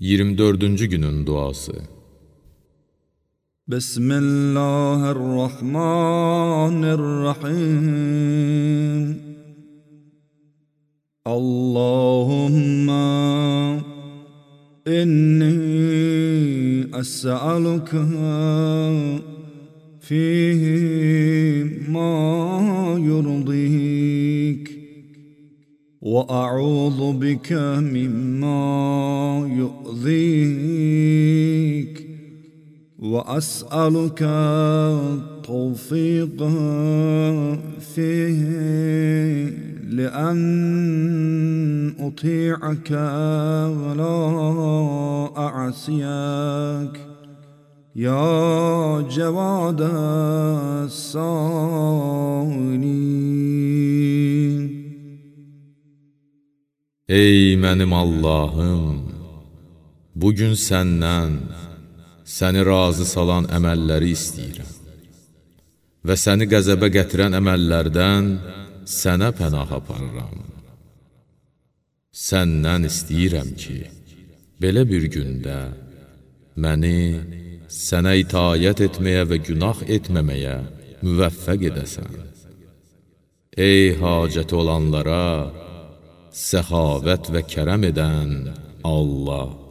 24-cü günün duası. Bismillahirrahmanirrahim. Allahumma inni es'aluka fihi ma yurdik وأعوذ بك مما يؤذيك وأسألك التوفيق فيه لأن أطيعك ولا أعصيك يا جواد السائلين. Ey mənim Allahım, bugün səndən, səni razı salan əməlləri istəyirəm və səni qəzəbə gətirən əməllərdən sənə pənah aparıram. Səndən istəyirəm ki, belə bir gündə məni sənə itayət etməyə və günah etməməyə müvəffəq edəsən. Ey hacəti olanlara səxavət və kərəm edən Allah!